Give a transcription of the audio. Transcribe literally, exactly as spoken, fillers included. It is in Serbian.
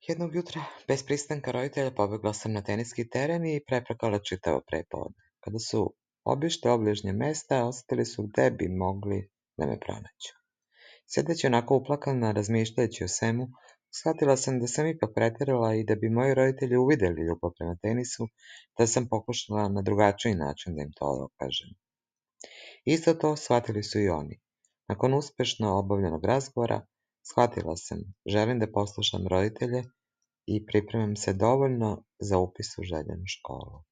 Jednog jutra, bez pristanka roditelja, pobegla sam na teniski teren i preplakala čitavo prepodne. Kada su obišli obližnje mesta, osetili su gde bi mogli da me pronađu. Sedeći onako uplakana, razmišljajući o svemu, shvatila sam da sam ipak preterala i da bi moji roditelji uvideli ljubav prema tenisu, da sam pokušala na drugačiji način da im to dokažem. Isto to shvatili su i oni. Nakon uspešno obavljenog razgovora, shvatila sam, želim da poslušam roditelje i pripremam se dovoljno za upis u željenu školu.